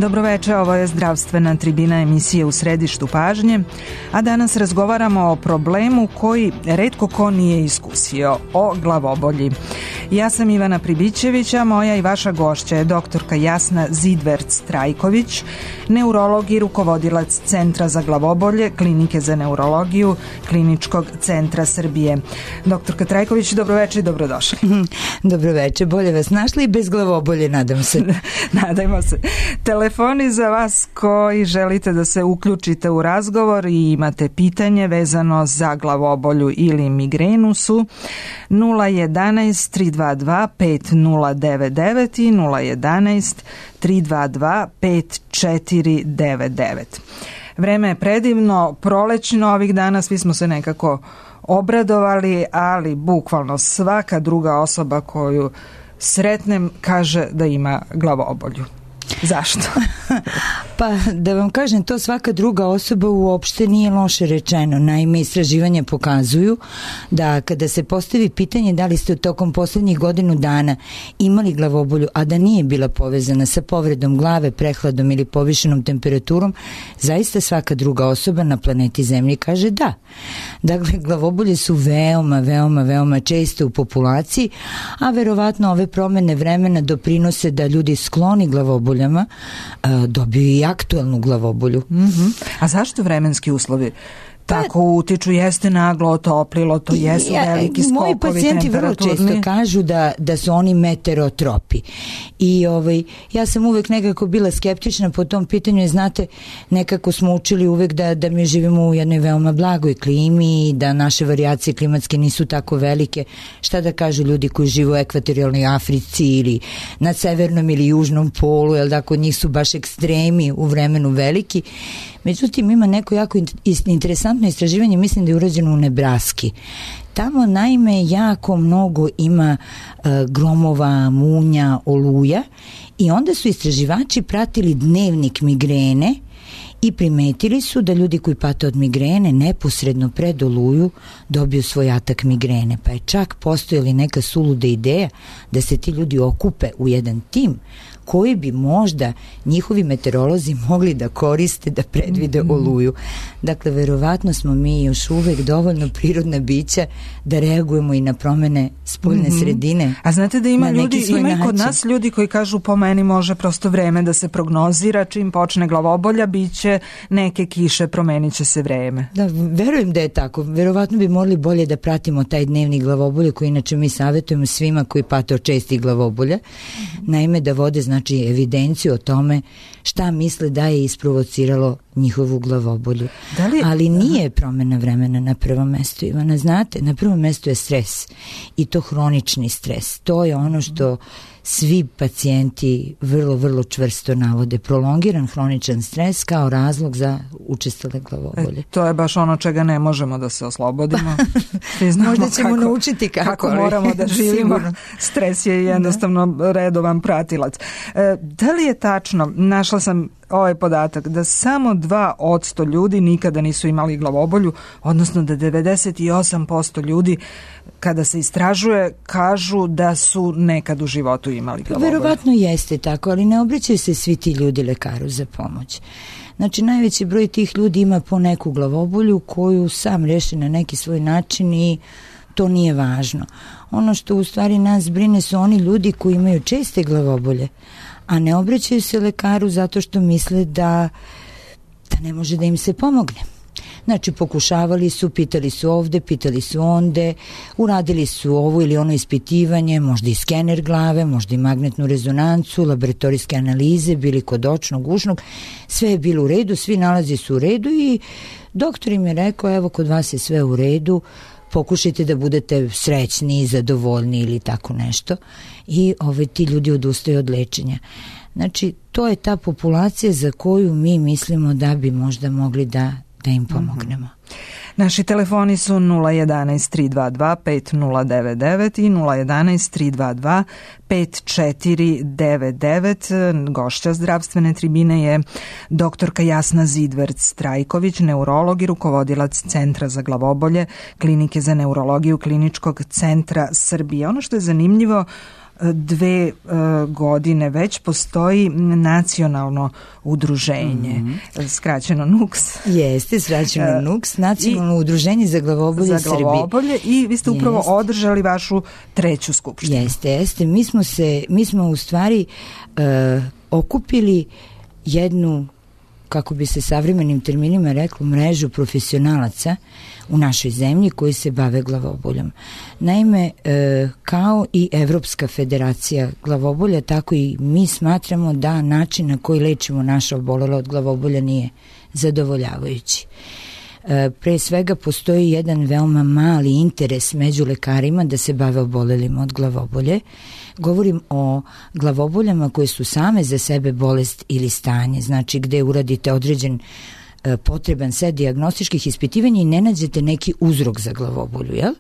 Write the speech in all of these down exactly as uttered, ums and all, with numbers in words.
Dobroveče, ovo je zdravstvena tribina emisije U središtu pažnje, a danas razgovaramo o problemu koji retko ko nije iskusio, o glavobolji. Ja sam Ivana Pribićević, a moja i vaša gošća je doktorka Jasna Zidverc-Trajković, neurolog i rukovodilac Centra za glavobolje, Klinike za neurologiju Kliničkog centra Srbije. Doktorka Trajković, dobroveče i dobrodošli. Dobroveče, bolje vas našli i bez glavobolje, nadam se. Nadajmo se. Telefoni za vas koji želite da se uključite u razgovor i imate pitanje vezano za glavobolju ili migrenu su nula jedanaest tri dva dva pet nula devet devet i nula jedanaest tri dva dva pet četiri devet devet. Vreme je predivno, prolećno ovih dana, svi smo se nekako obradovali, ali bukvalno svaka druga osoba koju sretnem kaže da ima glavobolju. Zašto? Pa da vam kažem, to svaka druga osoba uopšte nije loše rečeno. Naime, istraživanja pokazuju da kada se postavi pitanje da li ste u tokom poslednjih godinu dana imali glavobolju, a da nije bila povezana sa povredom glave, prehladom ili povišenom temperaturom, zaista svaka druga osoba na planeti Zemlji kaže da. Dakle, glavobolje su veoma, veoma, veoma česte u populaciji, a verovatno ove promene vremena doprinose da ljudi skloni glavoboljama dobiju i aktuelnu glavobolju. Mm-hmm. A zašto vremenski uslovi tako utiču? Jeste naglo otoplilo, to jesu ja, veliki skokovi moji pacijenti vrlo često kažu da, da su oni meterotropi i ovaj, ja sam uvek nekako bila skeptična po tom pitanju i znate, nekako smo učili uvek da, da mi živimo u jednoj veoma blagoj klimi i da naše varijacije klimatske nisu tako velike. Šta da kažu ljudi koji žive u ekvatorijalnoj Africi ili na severnom ili južnom polu, jel da kod njih su baš ekstremi u vremenu veliki. Međutim, ima neko jako interesantno istraživanje, mislim da je urađeno u Nebraski. Tamo naime jako mnogo ima uh, gromova, munja, oluja i onda su istraživači pratili dnevnik migrene i primetili su da ljudi koji pate od migrene neposredno pred oluju dobiju svoj atak migrene. Pa je čak postojala neka suluda ideja da se ti ljudi okupe u jedan tim koji bi možda njihovi meteorolozi mogli da koriste da predvide oluju. Dakle, verovatno smo mi još uvek dovoljno prirodna bića da reagujemo i na promene spoljne mm-hmm. sredine. A znate da ima ljudi, ima i kod nas ljudi koji kažu po meni može prosto vreme da se prognozira, čim počne glavobolja biće neke kiše, promenit će se vreme. Da, verujem da je tako. Verovatno bi morali bolje da pratimo taj dnevnik glavobolje koji inače mi savjetujemo svima koji pate od čestih glavobolja. Mm-hmm. Naime, da vode znači evidenciju o tome šta misle da je isprovociralo njihovu glavobolju. Da li... Ali nije promjena vremena na prvom mestu, Ivana, znate, na prvom mestu je stres i to hronični stres. To je ono što svi pacijenti vrlo, vrlo čvrsto navode. Prolongiran hroničan stres kao razlog za učestale glavobolje. E, to je baš ono čega ne možemo da se oslobodimo. Možda ćemo kako, naučiti kako, kako moramo da živimo. Stres je jednostavno da. redovan pratilac. E, da li je tačno, našla sam ovaj podatak, da samo dva posto ljudi nikada nisu imali glavobolju, odnosno da devedeset osam posto ljudi kada se istražuje kažu da su nekad u životu imali glavobolju. Verovatno jeste tako, ali ne obraćaju se svi ti ljudi lekaru za pomoć. Znači, najveći broj tih ljudi ima po neku glavobolju koju sam reši na neki svoj način i to nije važno. Ono što u stvari nas brine su oni ljudi koji imaju česte glavobolje, a ne obraćaju se lekaru zato što misle da, da ne može da im se pomogne. Znači, pokušavali su, pitali su ovde, pitali su onde, uradili su ovo ili ono ispitivanje, možda i skener glave, možda i magnetnu rezonancu, laboratorijske analize, bili kod očnog, ušnog, sve je bilo u redu, svi nalazi su u redu i doktor im je rekao, evo, kod vas je sve u redu, pokušajte da budete srećni, zadovoljni ili tako nešto i ove, ti ljudi odustaju od lečenja. Znači, to je ta populacija za koju mi mislimo da bi možda mogli da, da im pomognemo. Naši telefoni su nula jedanaest tri dva dva pet nula devet devet i nula jedanaest tri dva dva pet četiri devet devet. Gošća zdravstvene tribine je doktorka Jasna Zidverc-Trajković, neurolog i rukovodilac Centra za glavobolje Klinike za neurologiju Kliničkog centra Srbije. Ono što je zanimljivo, dve e, godine već postoji nacionalno udruženje, mm-hmm. skraćeno N U K S. Jeste, skraćeno N U K S, nacionalno I, udruženje za glavobolje za glavobolje Srbije. I vi ste upravo jeste. održali vašu treću skupštinu. Jeste, jeste. Mi smo se, mi smo u stvari e, okupili jednu, kako bi se savremenim terminima reklo, mrežu profesionalaca u našoj zemlji koji se bave glavoboljom. Naime, e, kao i Evropska federacija glavobolja, tako i mi smatramo da način na koji lečimo naše obolele od glavobolja nije zadovoljavajući. E, pre svega postoji jedan veoma mali interes među lekarima da se bave obolelima od glavobolje. Govorim o glavoboljama koje su same za sebe bolest ili stanje, znači gde uradite određen e, potreban set dijagnostičkih ispitivanja i ne nađete neki uzrok za glavobolju, jel?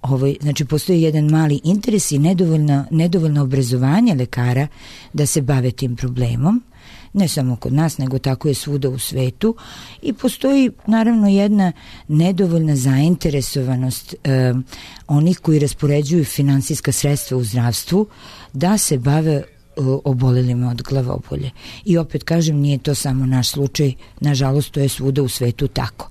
Ovo, znači postoji jedan mali interes i nedovoljno, nedovoljno obrazovanje lekara da se bave tim problemom, ne samo kod nas, nego tako je svuda u svetu, i postoji naravno jedna nedovoljna zainteresovanost e, onih koji raspoređuju finansijska sredstva u zdravstvu da se bave e, obolelima od glavobolje. I opet kažem, nije to samo naš slučaj, nažalost to je svuda u svetu tako.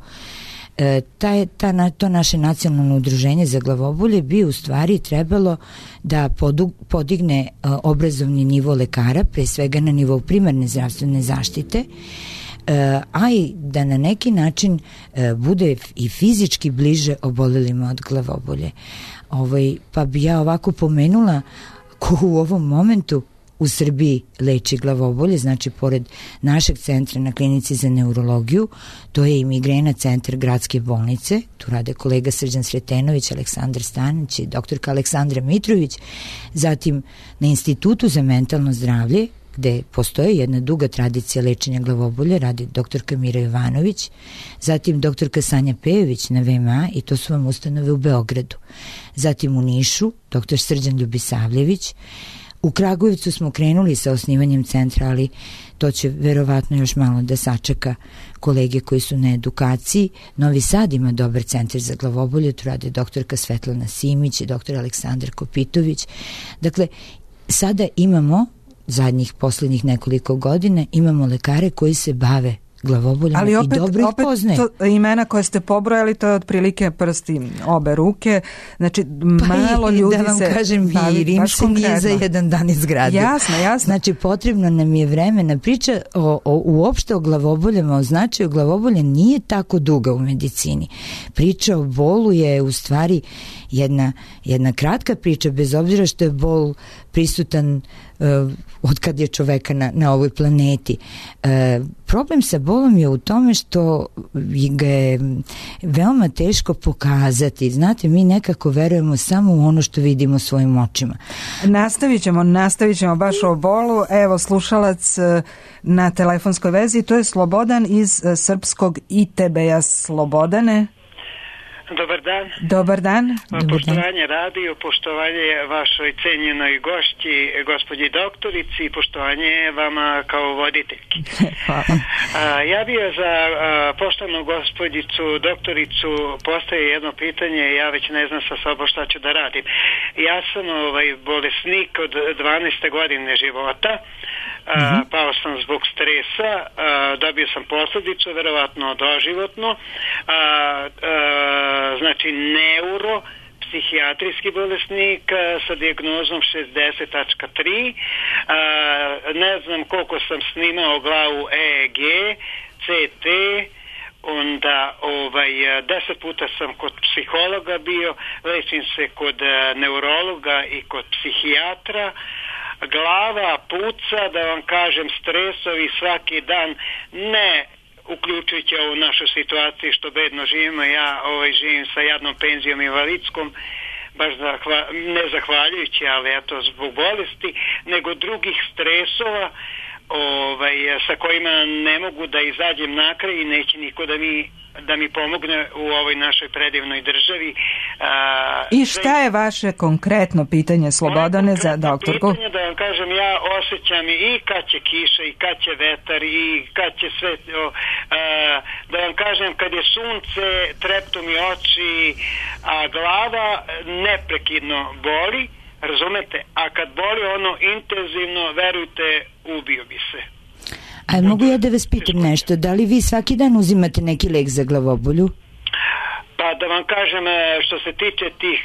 E, ta, ta, to naše nacionalno udruženje za glavobolje bi u stvari trebalo da podu, podigne e, obrazovni nivo lekara, pre svega na nivou primarne zdravstvene zaštite, e, a i da na neki način e, bude i fizički bliže obolelima od glavobolje. Ovaj, pa bi ja ovako pomenula ko u ovom momentu u Srbiji leči glavobolje, znači pored našeg centra na Klinici za neurologiju, to je i Migrena centar gradske bolnice, tu rade kolega Srđan Sretenović, Aleksandar Stanić i doktorka Aleksandra Mitrović, zatim na Institutu za mentalno zdravlje, gde postoji jedna duga tradicija lečenja glavobolja, radi doktorka Mira Jovanović, zatim doktorka Sanja Pejović na V M A, i to su vam ustanove u Beogradu, zatim u Nišu doktor Srđan Ljubisavljević. U Kragujevcu smo krenuli sa osnivanjem centra, ali to će verovatno još malo da sačeka kolege koji su na edukaciji. Novi Sad ima dobar centar za glavobolje, tu rade doktorka Svetlana Simić i doktor Aleksandar Kopitović. Dakle, sada imamo, zadnjih poslednjih nekoliko godina, imamo lekare koji se bave glavoboljama, ali opet, i dobro ih poznaje. To imena koje ste pobrojali, to je otprilike prsti obe ruke, znači pa malo i, ljudi da vam se kažem, i Rim se nije za jedan dan izgradio. Jasno, jasno. Znači potrebno nam je vremena. Priča o, o, uopšte o glavoboljama, o značaju glavobolja nije tako duga u medicini. Priča o bolu je u stvari jedna, jedna kratka priča, bez obzira što je bol prisutan uh, od kad je čoveka na, na ovoj planeti. Uh, problem sa bolom je u tome što ga je veoma teško pokazati. Znate, mi nekako verujemo samo u ono što vidimo svojim očima. Nastavit ćemo, nastavit ćemo baš o bolu. Evo, slušalac na telefonskoj vezi, to je Slobodan iz srpskog I T B-a. Slobodane. Dobar dan. Dobar dan. Poštovanje radio, poštovanje vašoj cenjenoj gošći, gospođi doktorici, i poštovanje vama kao voditeljki. Hvala. Ja bih za a, poštovanu gospođicu doktoricu postavio jedno pitanje, ja već ne znam sa sobom šta ću da radim. Ja sam ovaj bolesnik od dvanaeste godine života. Uh, pao sam zbog stresa, uh, dobio sam posljedicu, verovatno doživotno, uh, uh, znači neuro, psihijatrijski bolesnik uh, sa dijagnozom šezdeset tačka tri, uh, ne znam koliko sam snimao glavu E E G, C T, onda ovaj, deset puta sam kod psihologa bio, lečim se kod uh, neurologa i kod psihijatra. Glava puca, da vam kažem, stresovi svaki dan, ne uključujući ovu našu situaciju što bedno živimo. Ja ovaj, živim sa jadnom penzijom invalidskom, baš zahva, ne zahvaljujući, ali eto zbog bolesti, nego drugih stresova. ovaj, sa kojima ne mogu da izađem na kraj i neće niko da mi da mi pomogne u ovoj našoj predivnoj državi. A, I šta je vaše konkretno pitanje, Slobodane, za doktorku? Pitanje da vam kažem, ja osjećam i kad će kiša i kad će vetar i kad će sve, o, a, da vam kažem, kad je sunce, treptu mi oči, a glava neprekidno boli, razumete, a kad boli ono intenzivno, verujte, ubio bi se. A mogu ja da vas pitam nešto, da li vi svaki dan uzimate neki lek za glavobolju? Pa da vam kažem, što se tiče tih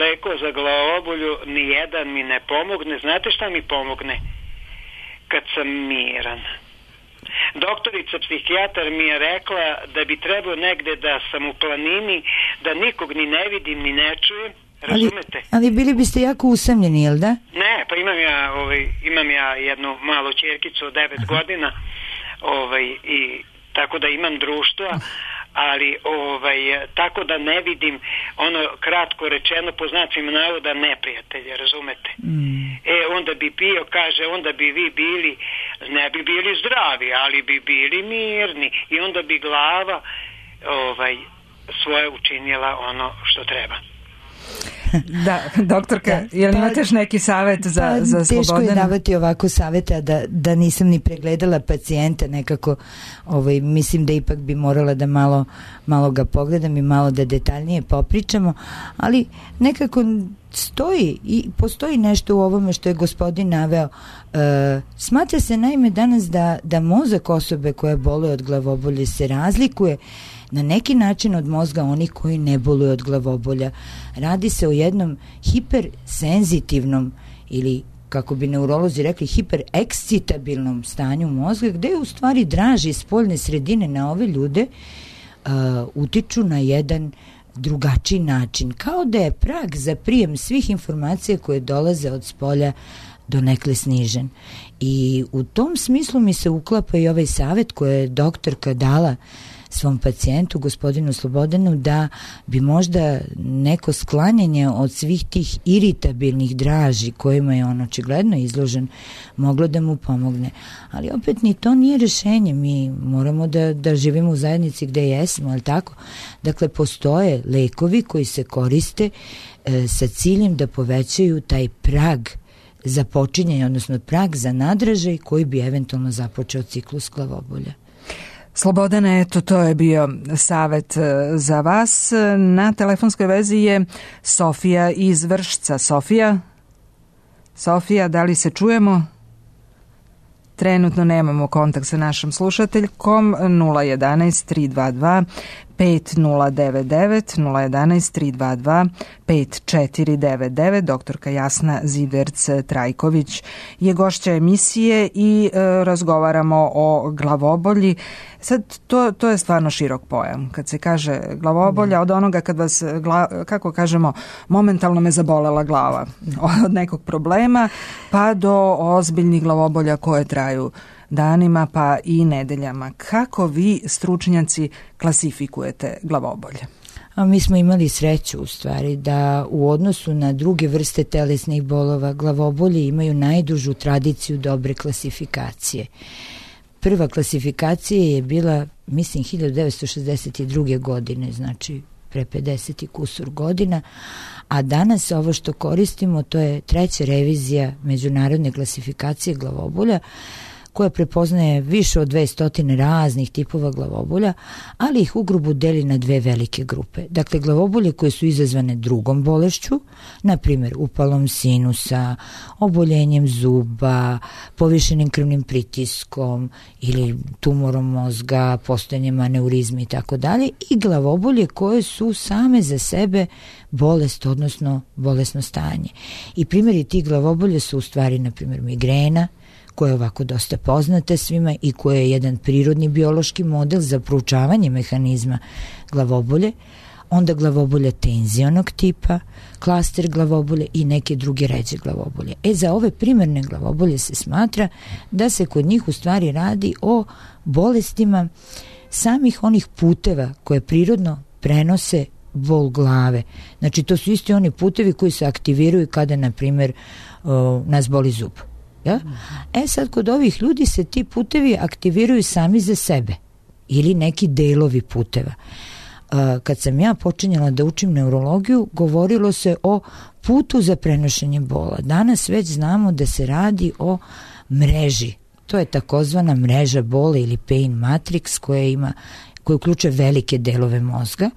lekova za glavobolju, nijedan mi ne pomogne. Znate šta mi pomogne? Kad sam miran. Doktorica psihijatar mi je rekla da bi trebao negde da sam u planini, da nikog ni ne vidim ni ne čujem. Razumete? Ali, ali bili biste jako usamljeni, jel da? Ne, pa imam ja, ovaj, imam ja jednu malu ćerkicu od devet godina, ovaj, i tako da imam društva, ali ovaj, tako da ne vidim, ono kratko rečeno po znacima navoda, neprijatelje, razumete? Mm. E, onda bi pio, kaže, onda bi vi bili, ne bi bili zdravi, ali bi bili mirni i onda bi glava ovaj, svoje učinila ono što treba. Da, doktorka, da. Je li imate još neki savjet za, pa, za Slobodana? Teško je davati ovako savjeta da, da nisam ni pregledala pacijenta nekako, ovaj, mislim da ipak bi morala da malo, malo ga pogledam i malo da detaljnije popričamo, ali nekako stoji i postoji nešto u ovome što je gospodin naveo. E, smatra se naime danas da, da mozak osobe koja boluje od glavobolje se razlikuje na neki način od mozga onih koji ne boluju od glavobolja. Radi se o jednom hipersenzitivnom ili, kako bi neurolozi rekli, hiperekscitabilnom stanju mozga, gde u stvari draži spoljne sredine na ove ljude uh, utiču na jedan drugačiji način. Kao da je prag za prijem svih informacija koje dolaze od spolja donekle snižen. I u tom smislu mi se uklapa i ovaj savjet koje je doktorka dala svom pacijentu, gospodinu Slobodanu, da bi možda neko sklanjanje od svih tih iritabilnih draži kojima je on očigledno izložen moglo da mu pomogne. Ali opet ni to nije rešenje. Mi moramo da, da živimo u zajednici gde jesmo, ali tako? Dakle, postoje lekovi koji se koriste e, sa ciljem da povećaju taj prag za počinjenje, odnosno prag za nadražaj koji bi eventualno započeo ciklus glavobolja. Slobodane, eto, to je bio savjet za vas. Na telefonskoj vezi je Sofija iz Vršca. Sofija? Sofija, da li se čujemo? Trenutno nemamo kontakt sa našom slušateljkom. nula jedanaest tri dva dva pet nula devet devet, nula jedanaest tri dva dva pet četiri devet devet. Doktorka Jasna Ziderc-Trajković je gošća emisije i e, razgovaramo o glavobolji. Sad, to, to je stvarno širok pojam. Kad se kaže glavobolja, od onoga kad vas, gla, kako kažemo, momentalno me zabolela glava od nekog problema, pa do ozbiljnih glavobolja koje traju danima pa i nedeljama. Kako vi, stručnjaci, klasifikujete glavobolje? A mi smo imali sreću u stvari da u odnosu na druge vrste telesnih bolova glavobolje imaju najdužu tradiciju dobre klasifikacije. Prva klasifikacija je bila, mislim, hiljadu devetsto šezdeset druge. godine, znači pre pedeset i kusur godina, a danas ovo što koristimo to je treća revizija međunarodne klasifikacije glavobolja, koja prepoznaje više od dvesta raznih tipova glavobolja, ali ih ugrubo deli na dve velike grupe. Dakle, glavobolje koje su izazvane drugom bolešću, na primjer upalom sinusa, oboljenjem zuba, povišenim krvnim pritiskom ili tumorom mozga, postojanjem aneurizmi i tako dalje, i glavobolje koje su same za sebe bolest, odnosno bolesno stanje. I primjeri tih glavobolja su u stvari, na primjer, migrena, koja je ovako dosta poznata svima i koja je jedan prirodni biološki model za proučavanje mehanizma glavobolje, onda glavobolja tenzionog tipa, klaster glavobolje i neke druge ređe glavobolje. E, za ove primarne glavobolje se smatra da se kod njih u stvari radi o bolestima samih onih puteva koje prirodno prenose bol glave. Znači, to su isti oni putevi koji se aktiviraju kada, na primjer, nas boli zub. Ja? E sad, kod ovih ljudi se ti putevi aktiviraju sami za sebe ili neki delovi puteva. Kad sam ja počinjala da učim neurologiju, govorilo se o putu za prenošenje bola. Danas već znamo da se radi o mreži. To je takozvana mreža bola ili pain matrix koja ima, koja uključuje velike delove mozga,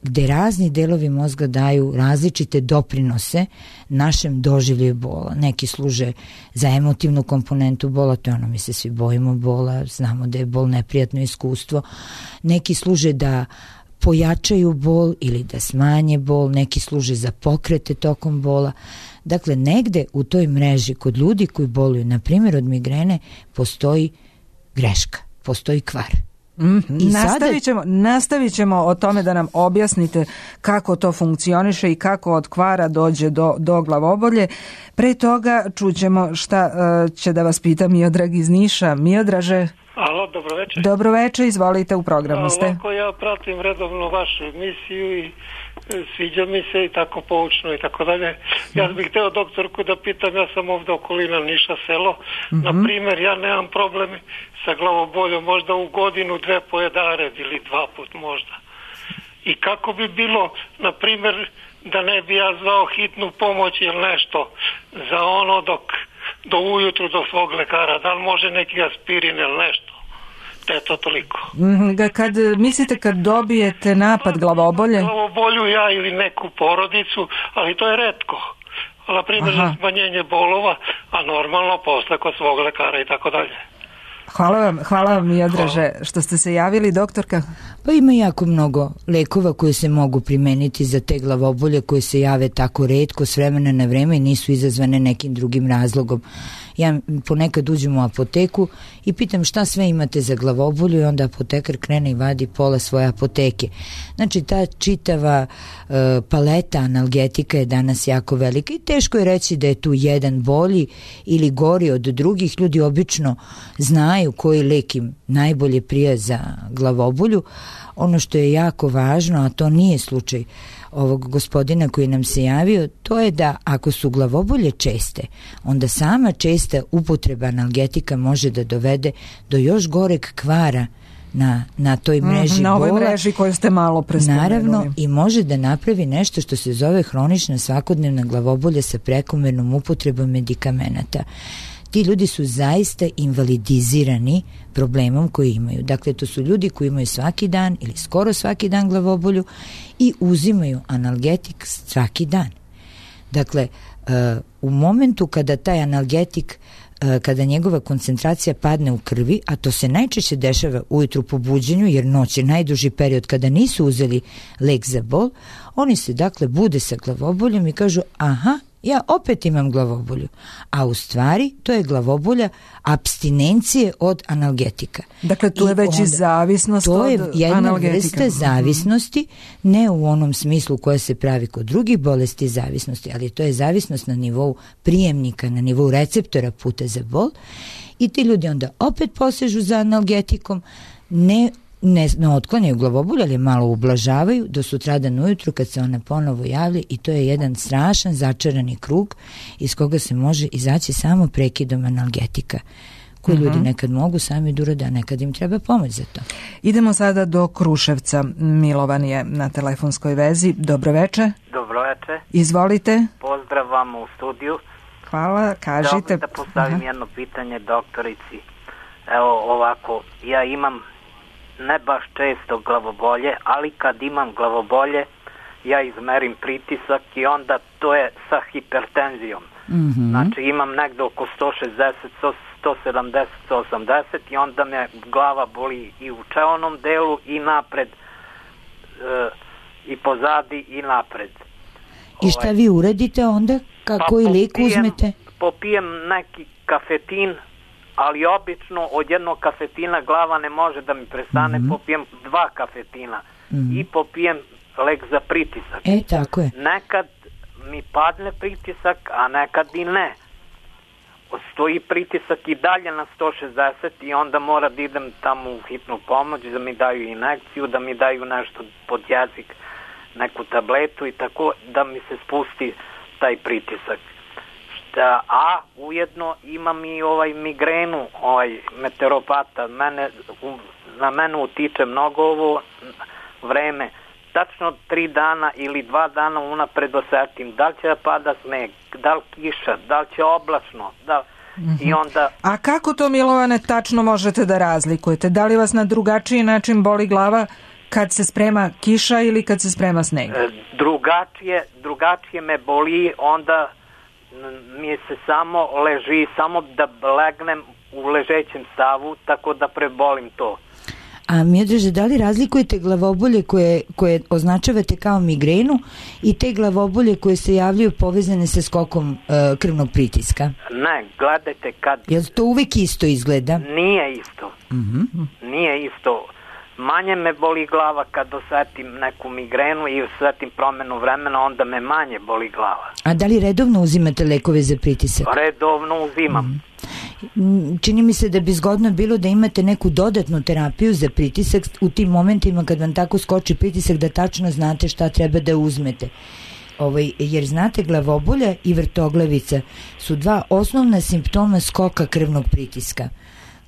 gde razni delovi mozga daju različite doprinose našem doživlju bola. Neki služe za emotivnu komponentu bola, to je ono, mi se svi bojimo bola, znamo da je bol neprijatno iskustvo. Neki služe da pojačaju bol ili da smanje bol, neki služe za pokrete tokom bola. Dakle, negde u toj mreži kod ljudi koji boluju, na primjer od migrene, postoji greška, postoji kvar. Mm-hmm. I nastavit ćemo, nastavit ćemo o tome da nam objasnite kako to funkcioniše i kako od kvara dođe do, do glavobolje. Pre toga čućemo šta uh, će da vas pita Miodrag iz Niša. Miodraže. Alo, dobro večer. Dobro večer, izvolite, u programu ste. Ovako, ja pratim redovno vašu emisiju i sviđa mi se i tako poučno i tako dalje. Ja bih hteo doktorku da pitam, ja sam ovdje okolina Niša selo. Mm-hmm. Na primjer, ja nemam problem sa glavoboljom, možda u godinu, dve pojedared ili dva put možda. I kako bi bilo, na primjer, da ne bi ja zvao hitnu pomoć ili nešto za ono dok do ujutru do svog lekara, da li može neki aspirin ili nešto. Da je to toliko. Kad, mislite kad dobijete napad glavobolje? Glavobolju ja ili neku porodicu, ali to je retko. Na primjer za smanjenje bolova, a normalno posle kod svog lekara i tako dalje. Hvala vam, hvala vam Miodraže što ste se javili, doktorka. Pa ima jako mnogo lekova koje se mogu primeniti za te glavobolje koje se jave tako retko s vremena na vreme i nisu izazvane nekim drugim razlogom. Ja ponekad uđem u apoteku i pitam šta sve imate za glavobolju i onda apotekar krene i vadi pola svoje apoteke. Znači ta čitava uh, paleta analgetika je danas jako velika i teško je reći da je tu jedan bolji ili gori od drugih. Ljudi obično znaju koji lek im najbolje prija za glavobolju. Ono što je jako važno, a to nije slučaj ovog gospodina koji nam se javio, to je da ako su glavobolje česte, onda sama česta upotreba analgetika može da dovede do još goreg kvara na, na toj mreži mm, na bola. Na ovoj mreži koju ste malo prespomenuli. Naravno, i može da napravi nešto što se zove hronična svakodnevna glavobolja sa prekomernom upotrebom medikamenata. Ti ljudi su zaista invalidizirani problemom koji imaju. Dakle, to su ljudi koji imaju svaki dan ili skoro svaki dan glavobolju i uzimaju analgetik svaki dan. Dakle, u momentu kada taj analgetik, kada njegova koncentracija padne u krvi, a to se najčešće dešava ujutru po buđenju, jer noć je najduži period kada nisu uzeli lek za bol, oni se dakle bude sa glavoboljom i kažu aha, ja opet imam glavobolju, a u stvari to je glavobolja apstinencije od analgetika. Dakle, tu je već i zavisnost od analgetika. To je jedna vrsta zavisnosti, ne u onom smislu koja se pravi kod drugih bolesti zavisnosti, ali to je zavisnost na nivou prijemnika, na nivou receptora puta za bol i ti ljudi onda opet posežu za analgetikom, ne Ne, ne otklanjaju glavobolju, ali malo ublažavaju do sutradan ujutru kad se ona ponovo javlja i to je jedan strašan začarani krug iz koga se može izaći samo prekidom analgetika koji uh-huh. ljudi nekad mogu sami da urade, a nekad im treba pomoć za to. Idemo sada do Kruševca. Milovan je na telefonskoj vezi. Dobro veče. Dobro veče. Izvolite. Pozdrav vam u studiju. Hvala, kažite. Da, da postavim uh-huh. jedno pitanje doktorici. Evo ovako, ja imam ne baš često glavobolje, ali kad imam glavobolje ja izmerim pritisak i onda to je sa hipertenzijom. Mm-hmm. Znači imam negde oko sto šezdeset, sto sedamdeset, sto osamdeset i onda me glava boli i u čeonom delu i napred e, i pozadi i napred. I šta ovaj, vi uradite onda? Kako pa i lijek uzmete? Popijem neki kafetin, ali obično od jednog kafetina glava ne može da mi prestane, mm-hmm. popijem dva kafetina mm-hmm. i popijem lek za pritisak. E, tako je. Nekad mi padne pritisak, a nekad i ne. Stoji pritisak i dalje na sto šezdeset i onda mora da idem tamo u hitnu pomoć, da mi daju injekciju, da mi daju nešto pod jezik, neku tabletu i tako da mi se spusti taj pritisak. Da, a ujedno imam i ovaj migrenu, ovaj meteoropata. Mene, na mene utiče mnogo ovo vreme. Tačno tri dana ili dva dana unapred osetim da li će da pada sneg, da li kiša, da li će oblačno, da mm-hmm. i onda... A kako to, Milovane, tačno možete da razlikujete? Da li vas na drugačiji način boli glava kad se sprema kiša ili kad se sprema sneg? E, drugačije, drugačije me boli, onda mi se samo leži, samo da legnem u ležećem stavu, tako da prebolim to. A Miodraže, da li razlikujete glavobolje koje, koje označavate kao migrenu i te glavobolje koje se javljaju povezane sa skokom e, krvnog pritiska? Ne, gledajte kad... Jel to uvek isto izgleda? Nije isto. Mm-hmm. Nije isto. Manje me boli glava kad osetim neku migrenu i osetim promenu vremena, onda me manje boli glava. A da li redovno uzimate lekove za pritisak? Redovno uzimam. Mm. Čini mi se da bi zgodno bilo da imate neku dodatnu terapiju za pritisak u tim momentima kad vam tako skoči pritisak, da tačno znate šta treba da uzmete. Ovaj, jer znate, glavobolja i vrtoglavica su dva osnovna simptoma skoka krvnog pritiska.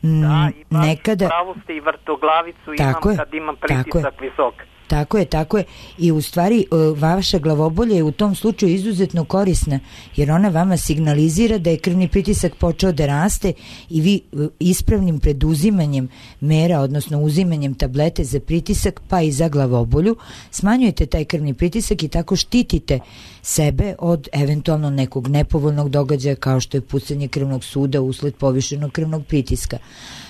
Da, i nekada... pravo ste, i vrtoglavicu tako imam je, kad imam pritisak visok. Tako je, tako je. I u stvari vaša glavobolja je u tom slučaju izuzetno korisna, jer ona vama signalizira da je krvni pritisak počeo da raste i vi ispravnim preduzimanjem mera, odnosno uzimanjem tablete za pritisak pa i za glavobolju, smanjujete taj krvni pritisak i tako štitite sebe od eventualno nekog nepovoljnog događaja kao što je pucanje krvnog suda usled povišenog krvnog pritiska.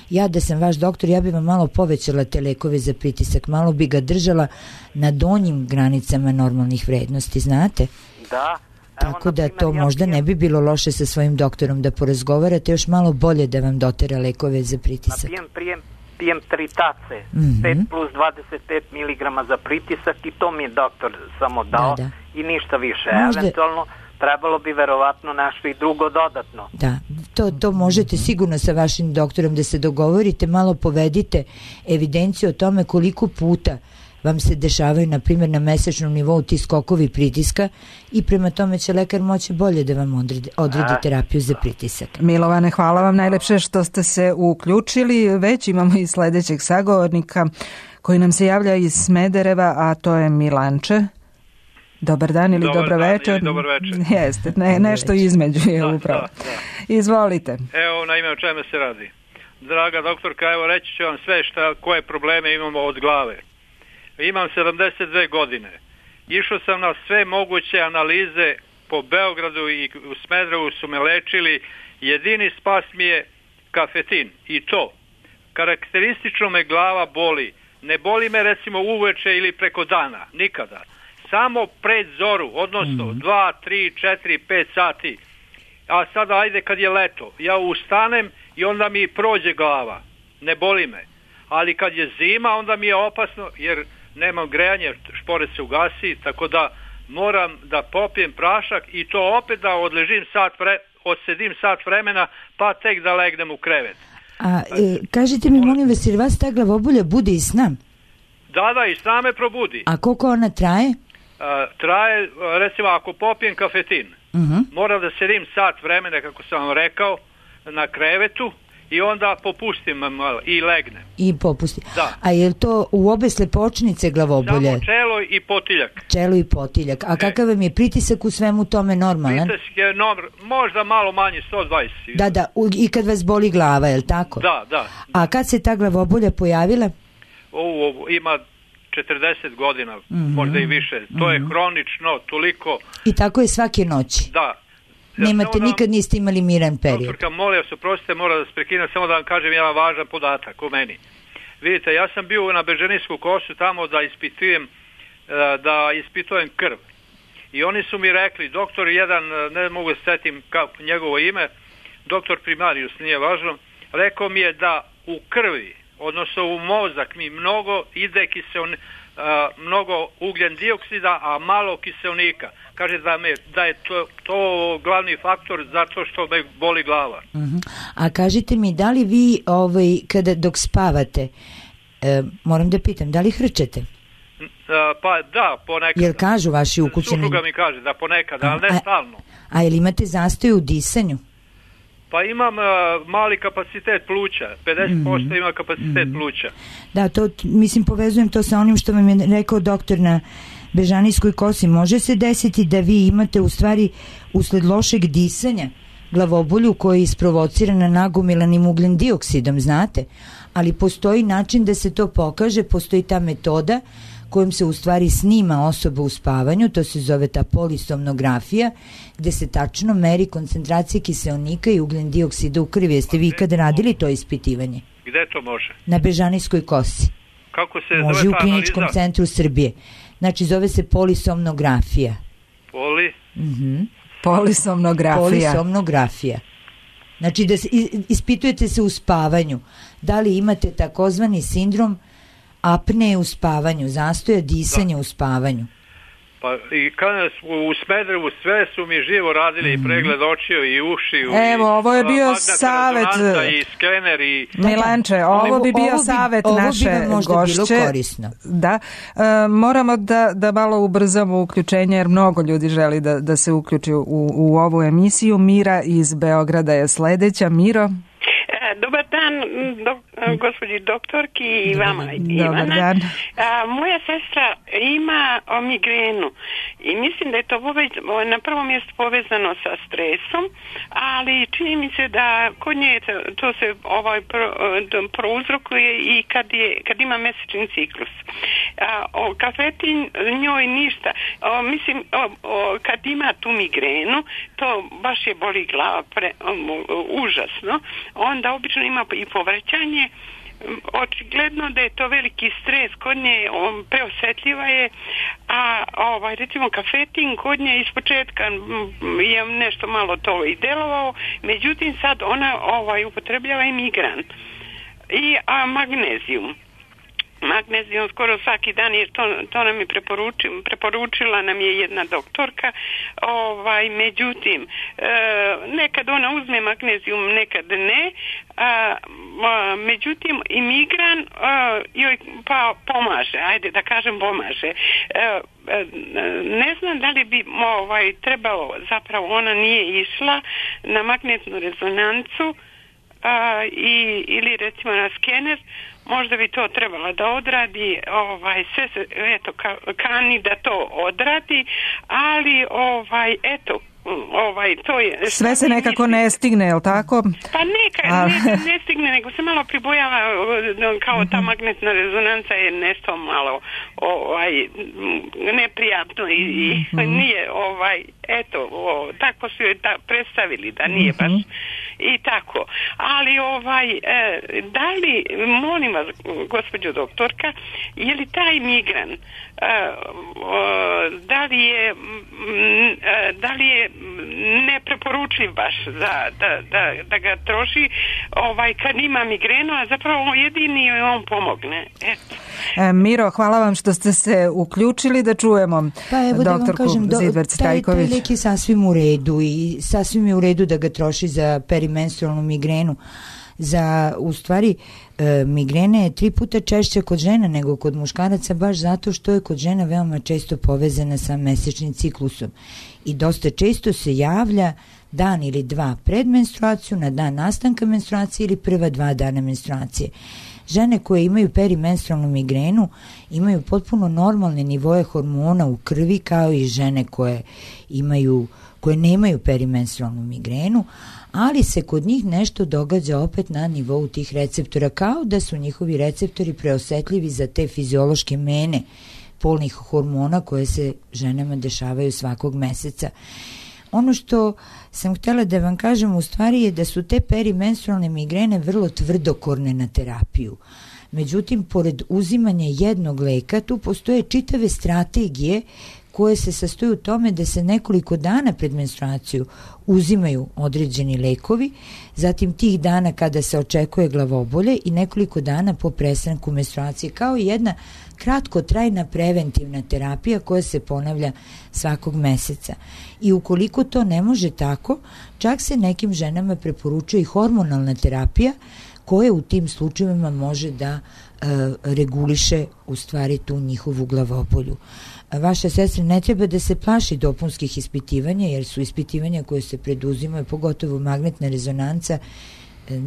Ja da sam vaš doktor, ja bi vam malo povećala te lekove za pritisak, malo bi ga držala na donjim granicama normalnih vrednosti, znate? Da. Tako da to možda ne bi bilo loše sa svojim doktorom da porazgovarate, još malo bolje da vam dotera lekove za pritisak. Pijem, pijem, pijem tri tace, mm-hmm. pet plus dvadeset pet miligrama za pritisak i to mi je doktor samo dao, da, da. I ništa više. Možda... Eventualno trebalo bi verovatno nešto i drugo dodatno. Da, to, to možete sigurno sa vašim doktorom da se dogovorite, malo povedite evidenciju o tome koliko puta vam se dešavaju, na primjer, na mesečnom nivou ti skokovi pritiska i prema tome će lekar moći bolje da vam odredi, odredi terapiju za pritisak. Milovane, hvala vam najlepše što ste se uključili. Već imamo i sledećeg sagovornika koji nam se javlja iz Smedereva, a to je Milanče. Dobar dan ili dobar dobro dan, večer. Ili dobar večer. Jeste, ne, nešto između je da, upravo. Da, da. Izvolite. Evo, na ime o čemu se radi. Draga doktorka, evo reći ću vam sve šta, koje probleme imamo od glave. Imam sedamdeset dve godine. Išao sam na sve moguće analize po Beogradu i u Smederevu su me lečili. Jedini spas mi je kafetin. I to. Karakteristično me glava boli. Ne boli me recimo uveče ili preko dana. Nikada. Samo pred zoru, odnosno mm-hmm. dva, tri, četiri, pet sati. A sada ajde kad je leto, ja ustanem i onda mi prođe glava. Ne boli me. Ali kad je zima, onda mi je opasno jer nemam grejanje, šporet se ugasi, tako da moram da popijem prašak i to opet da odležim sat vre, odsedim sat vremena pa tek da legnem u krevet. A e, kažite mi, molim vas, jer vas ta glavobolja bude i sna? Da, da, i sna me probudi. A koliko ona traje? A, traje, recimo, ako popijem kafetin, uh-huh. moram da sedim sat vremena, kako sam vam rekao, na krevetu i onda popustim malo i legnem. I popusti. Da. A je li to u obe slepočnice glavobolje? Samo čelo i potiljak. Čelo i potiljak. A e. kakav vam je pritisak u svemu tome normalan? Pritisak je norm, možda malo manji, sto dvadeset. Da, da, u, i kad vas boli glava, je li tako? Da, da. A kad se ta glavobolja pojavila? O, o, ima četrdeset godina, mm-hmm. možda i više. To mm-hmm. je hronično, toliko. I tako je svake noći? Da. Ja Nemate, da, nikad niste imali miran period? Doktorka, molim vas, oprostite, mora da se prekinem, samo da vam kažem jedan važan podatak o meni. Vidite, ja sam bio na Bežanijsku kosu tamo da ispitujem, da ispitujem krv. I oni su mi rekli, doktor jedan, ne mogu da setim kako njegovo ime, doktor primarius, nije važno, rekao mi je da u krvi, odnosno u mozak mi mnogo ide kiselnika, Uh, mnogo ugljen dioksida, a malo kiselnika. Kaže da, me, da je to, to glavni faktor zato što me boli glava. Uh-huh. A kažite mi, da li vi ovaj, kada dok spavate, e, moram da pitam, da li hrčete? Pa da, ponekad. Jel kažu vaši ukućeni? Supruga mi kaže da ponekad, ali ne a, stalno. A jel imate zastoj u disanju? Pa imam uh, mali kapacitet pluća, pedeset posto mm. ima kapacitet mm. pluća. Da, to, mislim, povezujem to sa onim što vam je rekao doktor na Bežanijskoj kosi. Može se desiti da vi imate u stvari usled lošeg disanja glavobolju koji je isprovocirana nagomilanim ugljen dioksidom, znate? Ali postoji način da se to pokaže, postoji ta metoda kojom se u stvari snima osoba u spavanju, to se zove ta polisomnografija, gde se tačno meri koncentracija kiseonika i ugljen dioksida u krvi. Jeste vi ikad radili to ispitivanje? Gde to može? Na Bežanijskoj kosi. Kako se može zove u Kliničkom analiza? Centru Srbije. Znači zove se polisomnografija. Poli? Mhm. Polisomnografija. Polisomnografija. Znači da se, ispitujete se u spavanju. Da li imate takozvani sindrom apneje u spavanju, zastoja disanja da. u spavanju. Pa i kada u Smederevu sve su mi živo radili mm. i pregled očiju i ušiju. Evo, i, ovo je bio savet i skener i Milanče, ovo bi bio ovo savet bi, naše ovo bi gošće. Bilo korisno. Da, e, moramo da, da malo ubrzamo uključenje jer mnogo ljudi želi da, da se uključi u, u ovu emisiju. Mira iz Beograda je sledeća. Miro? Dobar dan, do, gospođi doktorki i vama, Dobar Ivana. Dan. A, moja sestra ima o, migrenu i mislim da je to povez, na prvom mjestu povezano sa stresom, ali čini mi se da kod nje to se ovaj pro, prouzrokuje i kad, je, kad ima mesečni ciklus. A, o, kafetin njoj ništa. O, mislim, o, o, kad ima tu migrenu, to baš je boli glava pre, o, o, užasno. Onda obično ima i povraćanje. Očigledno da je to veliki stres kod nje, on preosjetljiva je, a ovaj, recimo kafetin kod nje ispočetka je nešto malo to i delovao, međutim sad ona ovaj, upotrebljava i migran i a, magnezijum. Magnezijum skoro svaki dan, jer to, to nam je preporuči, preporučila nam je jedna doktorka, ovaj, međutim e, nekad ona uzme magnezijum, nekad ne, a, a, međutim i migran a, joj pa pomaže, ajde da kažem pomaže. E, ne znam da li bi ovaj, trebalo, zapravo ona nije išla na magnetnu rezonancu a, i, ili recimo na skener, možda bi to trebala da odradi, ovaj, sve se, eto, ka, kani da to odradi, ali, ovaj, eto, ovaj, to je... Sve se nekako ne stigne, je li tako? Pa neka, A... ne, ne stigne, nego se malo pribojava, kao ta magnetna rezonanca je nešto malo, ovaj, neprijatno i, i mm-hmm. nije, ovaj, eto, o, tako su joj ta, predstavili da nije baš i tako. Ali, ovaj, e, da li, molim vas, gospođo doktorka, je li taj migran, e, o, da li je, m, da li je nepreporučljiv baš za, da, da, da ga troši ovaj, kad ima migrenu, a zapravo jedini joj on pomogne. Eto. E, Miro, hvala vam što ste se uključili, da čujemo pa evo doktorku da Zidvec-Trajković. Taj, taj lek je sasvim u redu i sasvim je u redu da ga troši za perimenstrualnu migrenu. Za, u stvari, e, migrena je tri puta češća kod žena nego kod muškaraca, baš zato što je kod žena veoma često povezana sa mesečnim ciklusom i dosta često se javlja dan ili dva pred menstruaciju, na dan nastanka menstruacije ili prva dva dana menstruacije. Žene koje imaju perimenstrualnu migrenu imaju potpuno normalne nivoe hormona u krvi, kao i žene koje imaju, koje nemaju perimenstrualnu migrenu, ali se kod njih nešto događa opet na nivou tih receptora, kao da su njihovi receptori preosetljivi za te fiziološke mene polnih hormona koje se ženama dešavaju svakog meseca. Ono što sam htjela da vam kažem u stvari je da su te perimenstrualne migrene vrlo tvrdokorne na terapiju. Međutim, pored uzimanja jednog leka, tu postoje čitave strategije koje se sastoje u tome da se nekoliko dana pred menstruaciju uzimaju određeni lekovi, zatim tih dana kada se očekuje glavobolje i nekoliko dana po prestanku menstruacije, kao i jedna kratkotrajna preventivna terapija koja se ponavlja svakog meseca. I ukoliko to ne može tako, čak se nekim ženama preporučuje i hormonalna terapija koje u tim slučajevima može da e, reguliše u stvari tu njihovu glavobolju. Vaša sestra ne treba da se plaši dopunskih ispitivanja, jer su ispitivanja koje se preduzimaju, pogotovo magnetna rezonanca,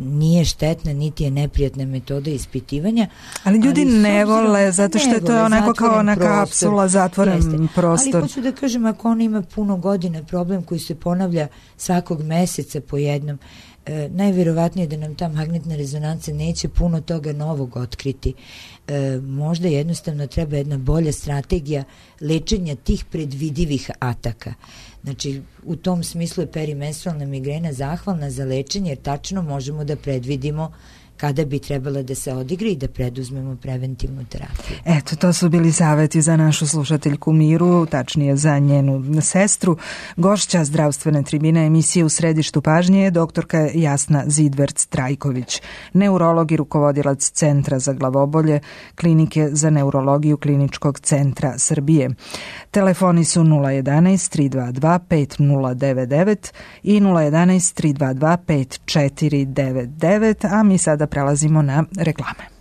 nije štetna, niti je neprijatna metoda ispitivanja. Ali ljudi ali ne vole, zato što je to onako kao ona kapsula, zatvoren Jeste. prostor. Ali hoću da kažem, ako ona ima puno godina problem koji se ponavlja svakog meseca po jednom, e, najvjerovatnije da nam ta magnetna rezonanca neće puno toga novog otkriti. E, možda jednostavno treba jedna bolja strategija lečenja tih predvidivih ataka. Znači, u tom smislu je perimenstrualna migrena zahvalna za lečenje, jer tačno možemo da predvidimo kada bi trebala da se odigre i da preduzmemo preventivnu terapiju. Eto, to su bili savjeti za našu slušateljku Miru, tačnije za njenu sestru. Gošća zdravstvene tribine emisije U središtu pažnje je doktorka Jasna Zidverc-Trajković, neurolog i rukovodilac Centra za glavobolje Klinike za neurologiju Kliničkog centra Srbije. Telefoni su nula jedanaest tri dva dva pet nula devet devet i nula jedanaest tri dva dva pet četiri devet devet, a mi sada prelazimo na reklame.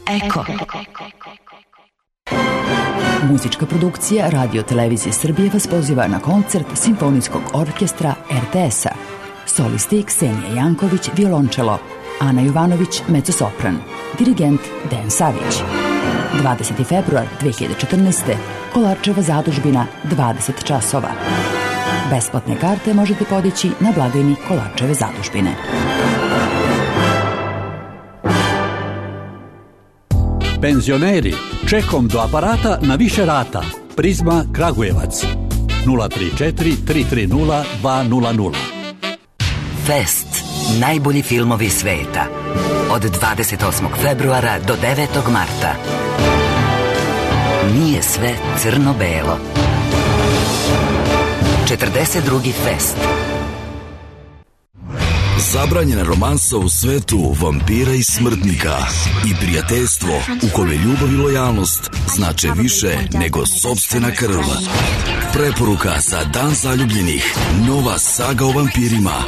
Eko. Muzička produkcija Radio Televizije Srbije vas poziva na koncert Simfonijskog orkestra er te es-a. solisti Ksenija Janković, violončelo, Ana Jovanović, mezzosopran, dirigent Dejan Savić. dvadeseti februar dve hiljade četrnaeste. Kolarčeva zadužbina, dvadeset časova. Besplatne karte možete podići na blagajni Kolarčeve zadužbine. Penzioneri, čekom do aparata na više rata. Prizma Kragujevac. nula tri četiri tri tri nula dva nula nula. Fest. Najbolji filmovi sveta. Od dvadeset osmog februara do devetog marta. Nije sve crno-belo. četrdeset drugi fest. Zabranjena romansa u svetu vampira i smrtnika i prijateljstvo u kome ljubav i lojalnost znače više nego sopstvena krv. Preporuka za Dan zaljubljenih. Nova saga o vampirima.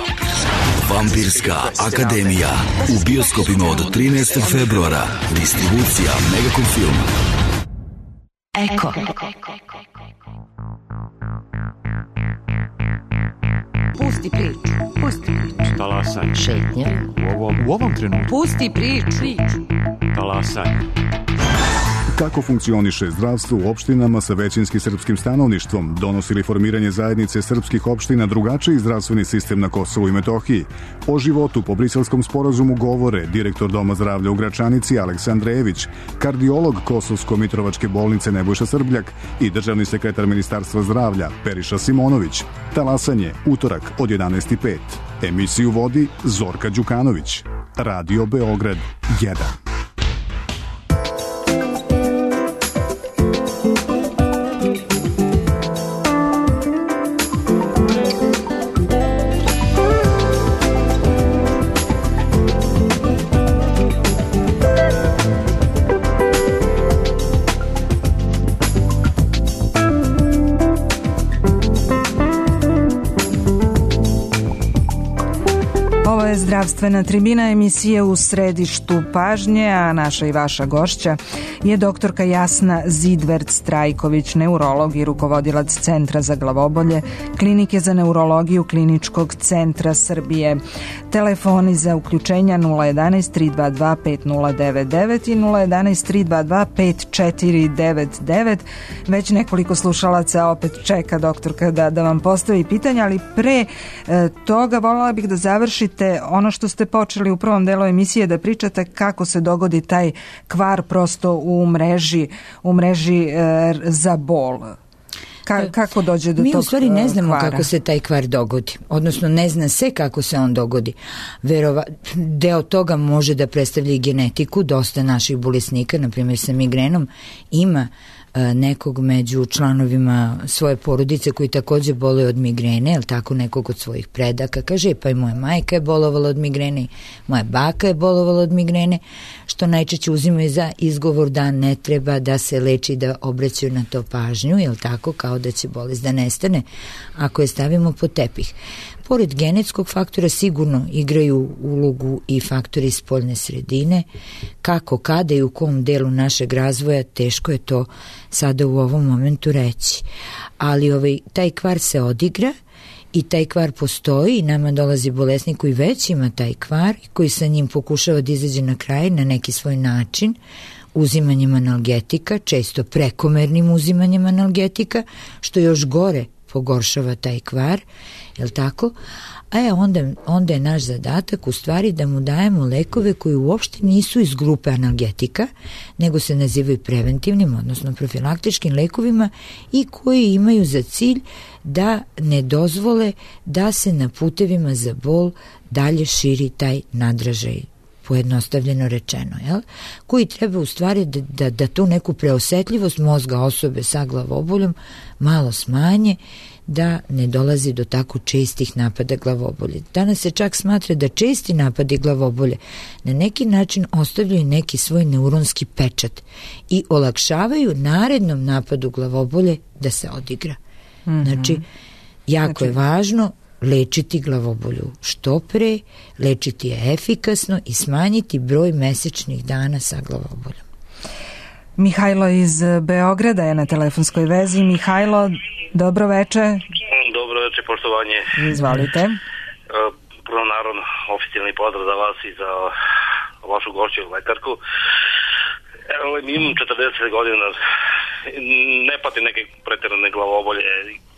Vampirska akademija. U bioskopima od trinaestog februara. Distribucija Megacom Film. Eko. Pusti priču, pusti priču. Talasanje. Šetnja. U ovom, u ovom trenutku. Pusti priču. Talasanje. Kako funkcioniše zdravstvo u opštinama sa većinski srpskim stanovništvom? Donosi li formiranje zajednice srpskih opština drugačiji zdravstveni sistem na Kosovu i Metohiji? O životu po Briselskom sporazumu govore direktor Doma zdravlja u Gračanici Aleksandar Ević, kardiolog Kosovsko-Mitrovačke bolnice Nebojša Srbljak i državni sekretar Ministarstva zdravlja Periša Simonović. Talasanje, utorak od jedanaest i pet. Emisiju vodi Zorka Đukanović. Radio Beograd jedan. Zdravstvena tribina, emisije u središtu pažnje, a naša i vaša gošća je doktorka Jasna Zidvert-Strajković, neurolog i rukovodilac Centra za glavobolje, Klinike za neurologiju Kliničkog centra Srbije. Telefoni za uključenja nula jedanaest tri dva dva pet nula devet devet i nula jedanaest tri dva dva pet četiri devet devet. Već nekoliko slušalaca opet čeka doktorka da, da vam postavi pitanja, ali pre e, toga voljela bih da završite ono što ste počeli u prvom delu emisije, da pričate kako se dogodi taj kvar prosto u mreži, u mreži e, za bol. Ka, kako dođe do Mi tog u stvari ne znamo kvara? Kako se taj kvar dogodi, odnosno ne zna se kako se on dogodi. Verova, deo toga može da predstavlja i genetiku. Dosta naših bolesnika, na primjer sa migrenom, ima nekog među članovima svoje porodice koji takođe boluju od migrene, ili tako, nekog od svojih predaka. Kaže, pa i moja majka je bolovala od migrene, moja baka je bolovala od migrene, što najčešće uzimaju za izgovor da ne treba da se leči, da obraćaju na to pažnju, ili tako, kao da će bolest da nestane ako je stavimo pod tepih. Pored genetskog faktora sigurno igraju ulogu i faktori spoljne sredine. Kako, kada i u kom delu našeg razvoja, teško je to sada u ovom momentu reći. Ali ovaj, taj kvar se odigra i taj kvar postoji i nama dolazi bolesnik koji već ima taj kvar i koji sa njim pokušava da izađe na kraj na neki svoj način, uzimanjem analgetika, često prekomernim uzimanjem analgetika, što još gore pogoršava taj kvar, jel tako? A je onda, onda je naš zadatak u stvari da mu dajemo lekove koji uopšte nisu iz grupe analgetika, nego se nazivaju preventivnim, odnosno profilaktičkim lekovima i koji imaju za cilj da ne dozvole da se na putevima za bol dalje širi taj nadražaj, pojednostavljeno rečeno, jel? Koji treba u stvari da, da, da tu neku preosetljivost mozga osobe sa glavoboljom malo smanje, da ne dolazi do tako čestih napada glavobolje. Danas se čak smatra da česti napadi glavobolje na neki način ostavljaju neki svoj neuronski pečat i olakšavaju narednom napadu glavobolje da se odigra. Mm-hmm. Znači, jako znači... je važno lečiti glavobolju što pre, lečiti je efikasno i smanjiti broj mesečnih dana sa glavoboljom. Mihajlo iz Beograda je na telefonskoj vezi. Mihajlo, dobro veče. Dobro veče, poštovanje. Izvalite. prvo naravno oficijalni pozdrav za vas i za vašu gošću lekarku. Evo, imam četrdeset godina, ne pati neke pretjerane glavobolje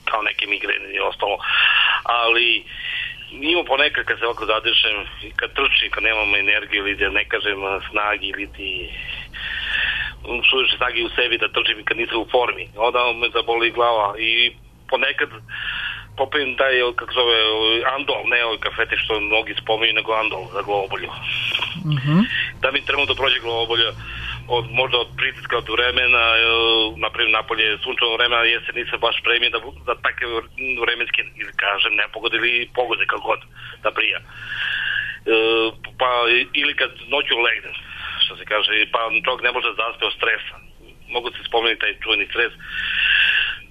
kao neke migrene i ostalo, ali imam ponekad kad se ovako zadišem, kad trčim, kad nemam energiju ili da ne kažem snagi ili ti suviše snagi u sebi da trčim kad nisam u formi, onda me zaboli glava i ponekad popijem taj, kako zove, andol, ne ovaj kafete što mnogi spominju, nego andol za glavobolju. Mm-hmm. Da mi trenutno prođe glavobolja, od, možda od pritiska od vremena, naprimjer napolje sunčevo vremena, jesen nisam baš spremio da, da takve vremenske, ili kažem, nepogode ili pogode, kako god, da prija. E, pa, ili kad noću legnem, što se kaže, pa čovjek ne može da zaspe od stresa. Mogu se spomenuti taj čuveni stres,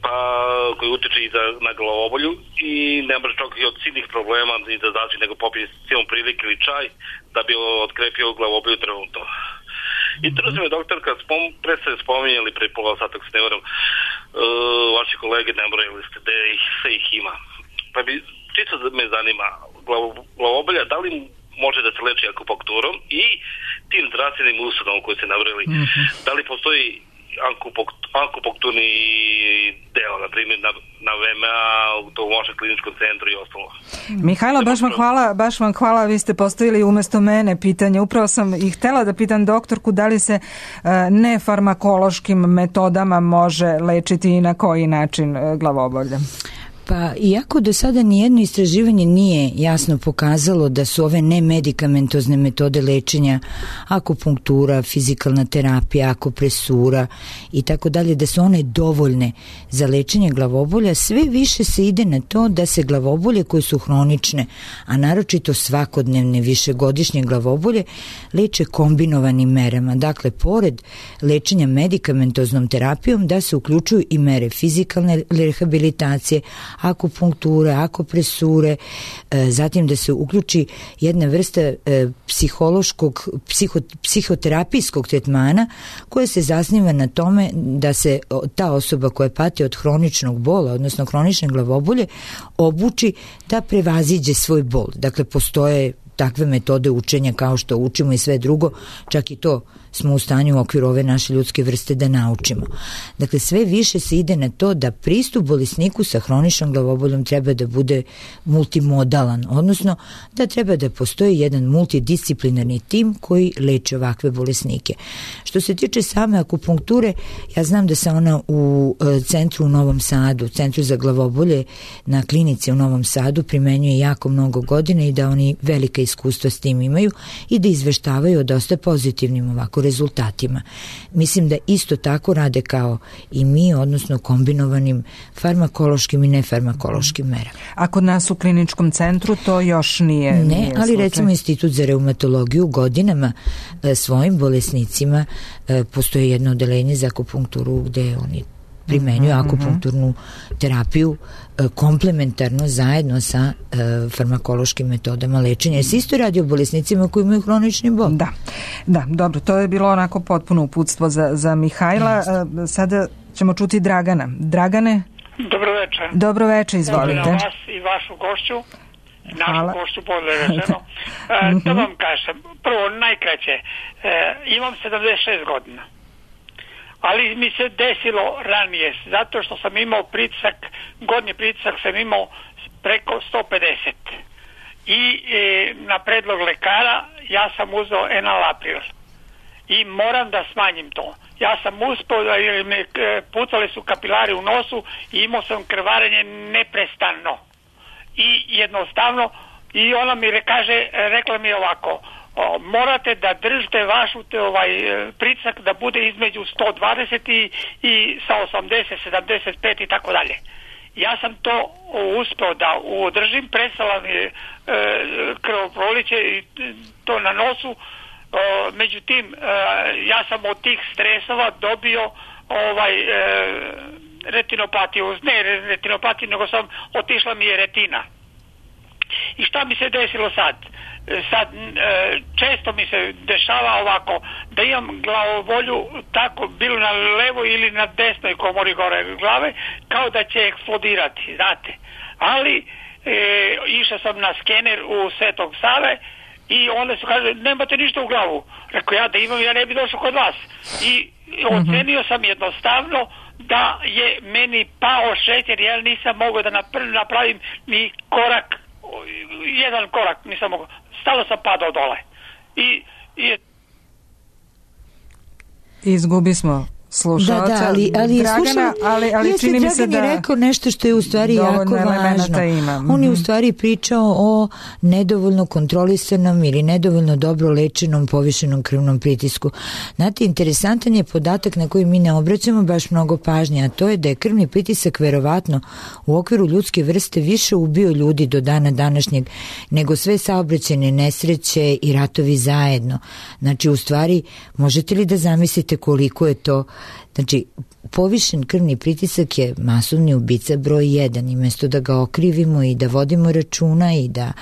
pa koji utiče i za, na glavobolju i ne može čovjek i od silnih problema ni da znači nego popije cijelom prilike ili čaj da bi otkrepio glavobolju trenutno. I trudno me doktor, kad spom, pre ste spominjali pre pola sata, ako se ne varam, uh, vaši kolege ne morali ste da ih, sve ih ima. Pa bi, čisto me zanima, glavo, glavobolja, da li može da se leči akupunkturom i tim zdravstvenim ustanovom koji ste navrili, mm-hmm. da li postoji akupunkturni deo, na primjer na, na V M A, u tom vašem kliničkom centru i ostalo. Mihajlo, baš vam hvala, baš vam hvala, vi ste postavili umjesto mene pitanje. Upravo sam i htjela da pitam doktorku da li se uh, nefarmakološkim metodama može lečiti i na koji način uh, glavobolje. Pa, iako do sada nijedno istraživanje nije jasno pokazalo da su ove nemedikamentozne metode lečenja, akupunktura, fizikalna terapija, akupresura i tako dalje, da su one dovoljne za lečenje glavobolja, sve više se ide na to da se glavobolje koje su hronične, a naročito svakodnevne višegodišnje glavobolje, leče kombinovanim merama. Dakle, pored lečenja medikamentoznom terapijom, da se uključuju i mere fizikalne rehabilitacije, akupunkture, akupresure, zatim da se uključi jedna vrsta psihološkog, psiho, psihoterapijskog tretmana koja se zasniva na tome da se ta osoba koja pati od hroničnog bola, odnosno hronične glavobolje, obuči da prevaziđe svoj bol. Dakle, postoje takve metode učenja kao što učimo i sve drugo, čak i to smo u stanju u okviru ove naše ljudske vrste da naučimo. Dakle, sve više se ide na to da pristup bolesniku sa hroničnom glavoboljom treba da bude multimodalan, odnosno da treba da postoji jedan multidisciplinarni tim koji leče ovakve bolesnike. Što se tiče same akupunkture, ja znam da se ona u centru u Novom Sadu, centru za glavobolje na klinici u Novom Sadu primenjuje jako mnogo godina i da oni velika iskustva s tim imaju i da izveštavaju o dosta pozitivnim ovako rezultatima. Mislim da isto tako rade kao i mi, odnosno kombinovanim farmakološkim i nefarmakološkim merama. A kod nas u kliničkom centru to još nije Ne, nije ali slučaj. Recimo Institut za reumatologiju godinama e, svojim bolesnicima e, postoje jedno odeljenje za akupunkturu gde oni primenjuju mm-hmm. akupunkturnu terapiju e, komplementarno zajedno sa e, farmakološkim metodama lečenja. Jer se isto radi o bolesnicima koji imaju hronični bol. Da, da, dobro, to je bilo onako potpuno uputstvo za, za Mihajla. E, sada ćemo čuti Dragana. Dragane? Dobro večer. Dobro večer, izvolite. Dobro vas i vašu gošću. Našu Hvala. gošću bolje rečeno. E, to vam kažem. Prvo, najkraće. E, imam sedamdeset šest godina. Ali mi se desilo ranije, zato što sam imao pritisak, gornji pritisak sam imao preko sto pedeset. I e, na predlog lekara ja sam uzeo enalapril. I moram da smanjim to. Ja sam uspio da me pucali su kapilari u nosu i imao sam krvarenje neprestano. I jednostavno, i ona mi re, kaže, rekla mi ovako, o, morate da držite vašu te, ovaj, pritisak da bude između sto dvadeset i, i sa osamdeset, sedamdeset pet i tako dalje. Ja sam to uspio da održim, prestala mi je e, krvoproliće i to na nosu. O, međutim, e, ja sam od tih stresova dobio ovaj e, retinopatiju, ne retinopatiju, nego sam otišla mi je retina. I šta mi se desilo sad? Sad često mi se dešava ovako da imam glavobolju tako bilo na levo ili na desnoj komori gore glave kao da će eksplodirati, znate. Ali e, išao sam na skener u Svetog Save i onda su kaže, nemate ništa u glavu. Rekao, ja da imam, ja ne bi došao kod vas. I ocenio sam jednostavno da je meni pao šećer, ja nisam mogao da napravim ni korak, jedan korak nisam mogao. Stalo sam padao dole. I, i izgubi smo slušalca. Da, da, ali, ali, Dragana, slušao, ali, ali jeste, čini mi se da je rekao nešto što je u stvari jako važno. Ima. Mm-hmm. On je u stvari pričao o nedovoljno kontrolisanom ili nedovoljno dobro lečenom povišenom krvnom pritisku. Znate, interesantan je podatak na koji mi ne obraćamo baš mnogo pažnje, a to je da je krvni pritisak verovatno u okviru ljudske vrste više ubio ljudi do dana današnjeg nego sve saobraćajne nesreće i ratovi zajedno. Znači, u stvari, možete li da zamislite koliko je to. Znači, povišen krvni pritisak je masovni ubica broj jedan i mesto da ga okrivimo i da vodimo računa i da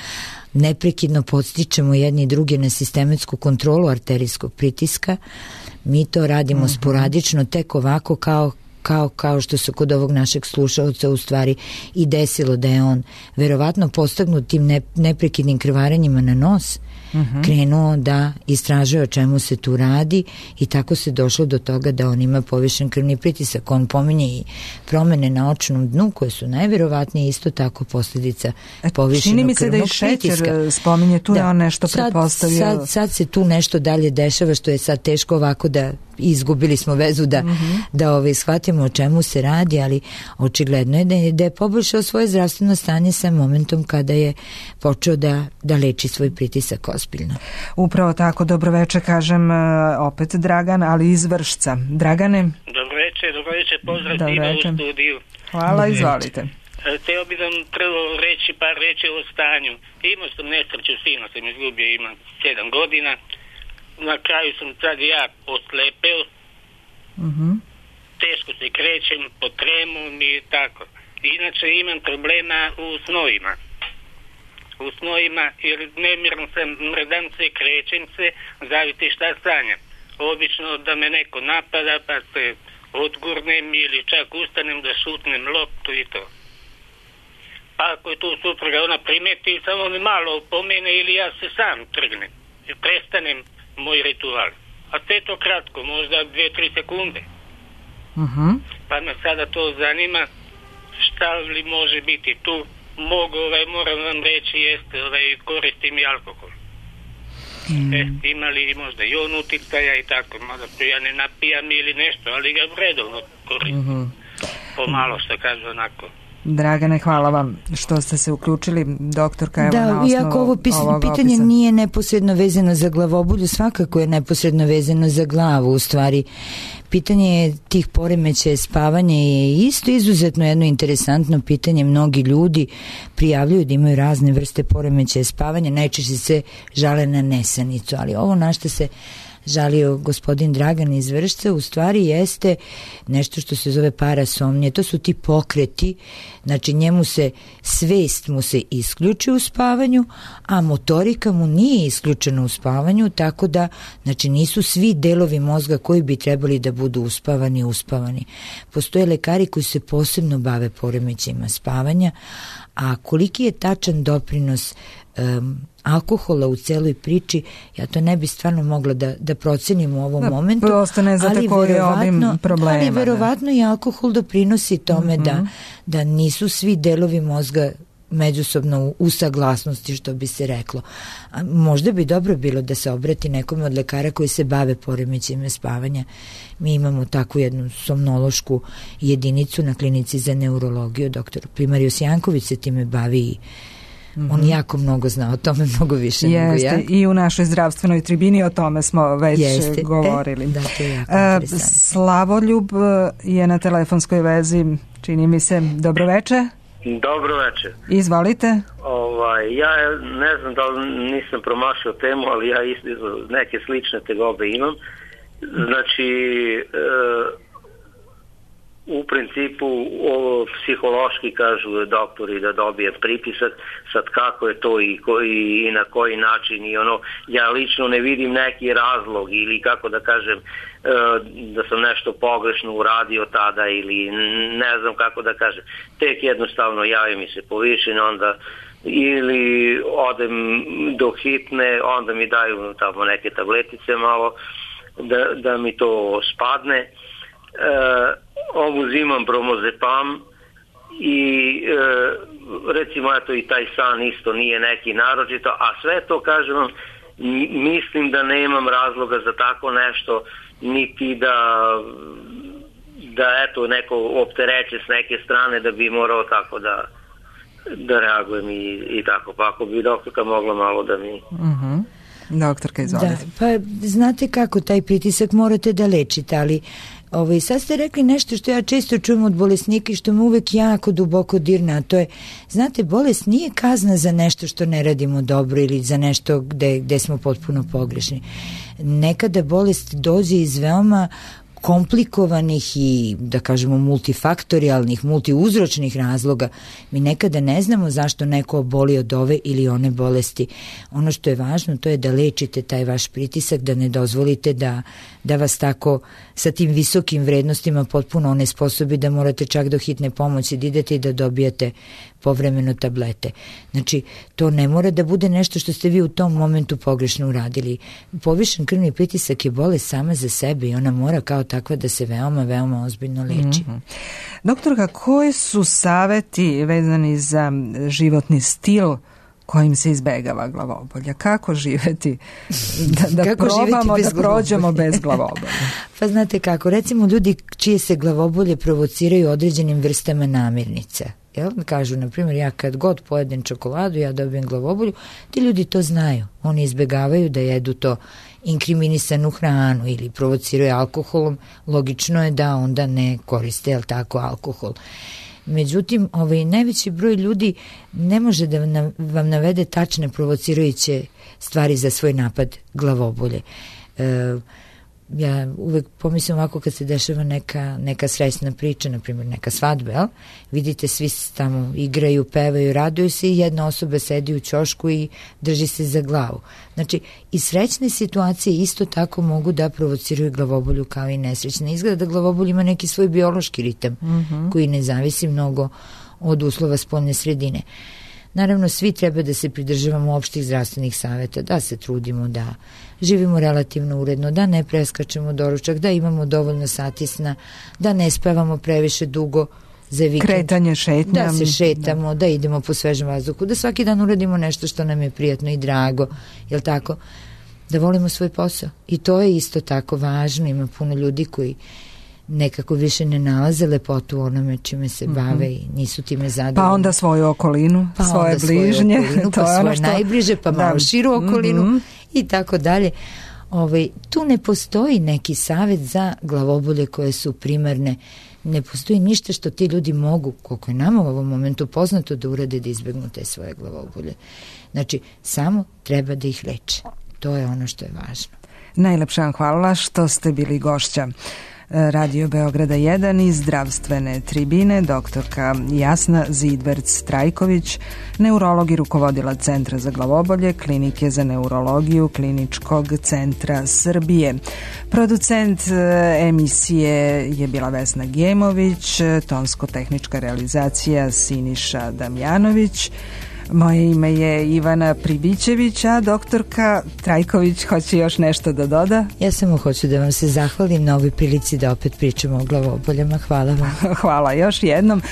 neprekidno podstičemo jedni i druge na sistematsku kontrolu arterijskog pritiska, mi to radimo mm-hmm. sporadično, tek ovako kao Kao, kao što se kod ovog našeg slušalca u stvari i desilo da je on verovatno postagnut tim ne, neprekidnim krvarenjima na nos, uh-huh. krenuo da istražuje o čemu se tu radi i tako se došlo do toga da on ima povišen krvni pritisak. On pominje i promene na očnom dnu koje su najverovatnije isto tako posljedica povišenog krvnog pritiska. Čini mi se da i šećer spominje, tu da, je on nešto sad, pretpostavio. Sad, sad se tu nešto dalje dešava što je sad teško ovako da izgubili smo vezu da, mm-hmm. da ovaj, shvatimo o čemu se radi, ali očigledno je da je, da je poboljšao svoje zdravstveno stanje sa momentom kada je počeo da, da leči svoj pritisak ozbiljno. Upravo tako, dobro večer, kažem opet Dragan, ali iz Vršca. Dragane? Dobro večer, dobro večer, pozdrav svima u studiju. Hvala, izvolite. Htio bih vam prvo reći par reći o stanju. Imao sam nesreću, sina sam izgubio, imam sedam godina. Na kraju sam sad ja oslepeo, uh-huh. teško se krećem pod tremom i tako. Inače imam problema u snovima. U snovima jer nemirno sam, mrdam se, krećem se, zaviti šta sanjam. Obično da me neko napada pa se odgurnem ili čak ustanem da šutnem loptu i to. Pa ako je tu supruga, ona primeti, samo me malo opomene ili ja se sam trgnem i prestanem moj ritual. A sve to kratko, možda dve tri sekunde. Uh-huh. Pa me sada to zanima šta li može biti tu. Mogu, ovaj, moram vam reći, jeste, ovaj, koristim i alkohol. Mm. E, ima li možda i on uticaja i tako, mada ja ne napijam ili nešto, ali ga redovno koristim. Uh-huh. Pomalo što kaže onako. Dragane, hvala vam što ste se uključili, doktorka, evo da, na osnovu iako ovo pis, pitanje opisa. Nije neposredno vezano za glavobolju, svakako je neposredno vezano za glavu, u stvari. Pitanje tih poremećaja spavanja je isto izuzetno jedno interesantno pitanje. Mnogi ljudi prijavljuju da imaju razne vrste poremećaja spavanja, najčešće se žale na nesanicu, ali ovo na što se žalio gospodin Dragan iz Vršca u stvari jeste nešto što se zove parasomnija. To su ti pokreti, znači njemu se svest mu se isključi u spavanju, a motorika mu nije isključena u spavanju, tako da znači nisu svi delovi mozga koji bi trebali da budu uspavani uspavani. Postoje lekari koji se posebno bave poremećajima spavanja, a koliki je tačan doprinos um, alkohola u celoj priči, ja to ne bi stvarno mogla da, da procenim u ovom da, momentu. Prosto ne znate koji je ovim problema. Ali verovatno i alkohol doprinosi tome mm-hmm. da, da nisu svi delovi mozga međusobno u, u saglasnosti, što bi se reklo. A možda bi dobro bilo da se obrati nekome od lekara koji se bave poremećajima spavanja. Mi imamo takvu jednu somnološku jedinicu na klinici za neurologiju. Doktor Primarius Janković se time bavi i Mm-hmm. on jako mnogo zna o tome, mnogo više Jeste, nego ja. I u našoj zdravstvenoj tribini o tome smo već Jeste. govorili. E, da, to je jako uh, Slavoljub je na telefonskoj vezi, čini mi se. Dobro večer. Dobro večer. Izvolite. Ovaj, ja ne znam da li nisam promašio temu, ali ja isto neke slične tegobe imam. Znači, e, u principu ovo, psihološki kažu doktori da dobije pritisak, sad kako je to i, koji, i na koji način i ono, ja lično ne vidim neki razlog ili kako da kažem da sam nešto pogrešno uradio tada ili ne znam kako da kažem, tek jednostavno javi mi se povišenje, onda ili odem do hitne, onda mi daju tamo neke tabletice malo da, da mi to spadne. E, uzimam bromazepam i e, recimo eto i taj san isto nije neki naročito, a sve to kažem vam, mislim da nemam razloga za tako nešto, niti da da eto neko optereće s neke strane da bi morao tako da da reagujem i, i tako, pa ako bi doktorka mogla malo da mi... Uh-huh. Doktorka, izvolite. Da, pa znate kako, taj pritisak morate da lečite, ali ovaj, sad ste rekli nešto što ja često čujem od bolesnika i što me uvek jako duboko dirne, a to je, znate, bolest nije kazna za nešto što ne radimo dobro ili za nešto gde, gde smo potpuno pogrešni. Nekada bolest dođe iz veoma komplikovanih i, da kažemo, multifaktorijalnih, multiuzročnih razloga. Mi nekada ne znamo zašto neko oboli od ove ili one bolesti. Ono što je važno, to je da lečite taj vaš pritisak, da ne dozvolite da, da vas tako sa tim visokim vrednostima potpuno onesposobi da morate čak do hitne pomoći da idete i da dobijate povremeno tablete. Znači, to ne mora da bude nešto što ste vi u tom momentu pogrešno uradili. Povišen krvni pritisak je bolest sama za sebe i ona mora kao takva da se veoma, veoma ozbiljno leči. Mm-hmm. Doktorka, koji su saveti vezani za životni stil kojim se izbegava glavobolja? Kako živeti? Da, da kako probamo živeti da prođemo bez glavobolja. Pa znate kako, recimo ljudi čije se glavobolje provociraju određenim vrstama namirnica. Jel? Kažu, na primjer, ja kad god pojedem čokoladu, ja dobijem glavobolju, ti ljudi to znaju. Oni izbegavaju da jedu to inkriminisanu hranu ili provociraju alkoholom. Logično je da onda ne koriste, jel tako, alkohol. Međutim, ovaj, najveći broj ljudi ne može da vam navede tačne provocirajuće stvari za svoj napad glavobolje. E, ja uvek pomislim ovako kad se dešava neka, neka srećna priča, na primjer neka svadba, jel? Vidite, svi tamo igraju, pevaju, raduju se i jedna osoba sedi u ćošku i drži se za glavu. Znači, i srećne situacije isto tako mogu da provociraju glavobolju kao i nesrećne. Izgleda da glavobolj ima neki svoj biološki ritam, mm-hmm. koji ne zavisi mnogo od uslova spoljne sredine. Naravno, svi treba da se pridržavamo opštih zdravstvenih saveta, da se trudimo, da živimo relativno uredno, da ne preskačemo doručak, da imamo dovoljno sati sna, da ne spavamo previše dugo za vikend. Kretanje, šetnja. Da se šetamo, da. da idemo po svežem vazduhu, da svaki dan uradimo nešto što nam je prijatno i drago, jel tako? Da volimo svoj posao. I to je isto tako važno, ima puno ljudi koji nekako više ne nalaze lepotu u onome čime se bave mm-hmm. i nisu time zadovoljni. Pa onda svoju okolinu, pa svoje bližnje. Svoju okolinu, pa to svoje ono što... najbliže, pa malo da. širu okolinu mm-hmm. i tako dalje. Ovaj, tu ne postoji neki savjet za glavobolje koje su primarne. Ne postoji ništa što ti ljudi mogu, koliko je nama u ovom momentu poznato, da urade da izbegnu te svoje glavobolje. Znači, samo treba da ih leče. To je ono što je važno. Najlepša vam hvala što ste bili gošća Radio Beograda jedan i zdravstvene tribine, doktorka Jasna Zidverc-Trajković, neurolog i rukovodila Centra za glavobolje, Klinike za neurologiju Kliničkog centra Srbije. Producent emisije je bila Vesna Gemović, tonsko-tehnička realizacija Siniša Damjanović. Moje ime je Ivana Pribićević, a doktorka Trajković hoće još nešto da doda? Ja samo hoću da vam se zahvalim na ovoj prilici da opet pričamo o glavoboljama. Hvala vam. Hvala još jednom.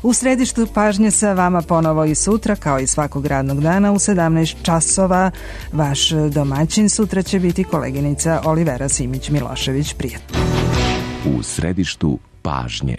U središtu pažnje sa vama ponovo i sutra, kao i svakog radnog dana u sedamnaest časova. Vaš domaćin sutra će biti koleginica Olivera Simić-Milošević. Prijatno. U središtu pažnje.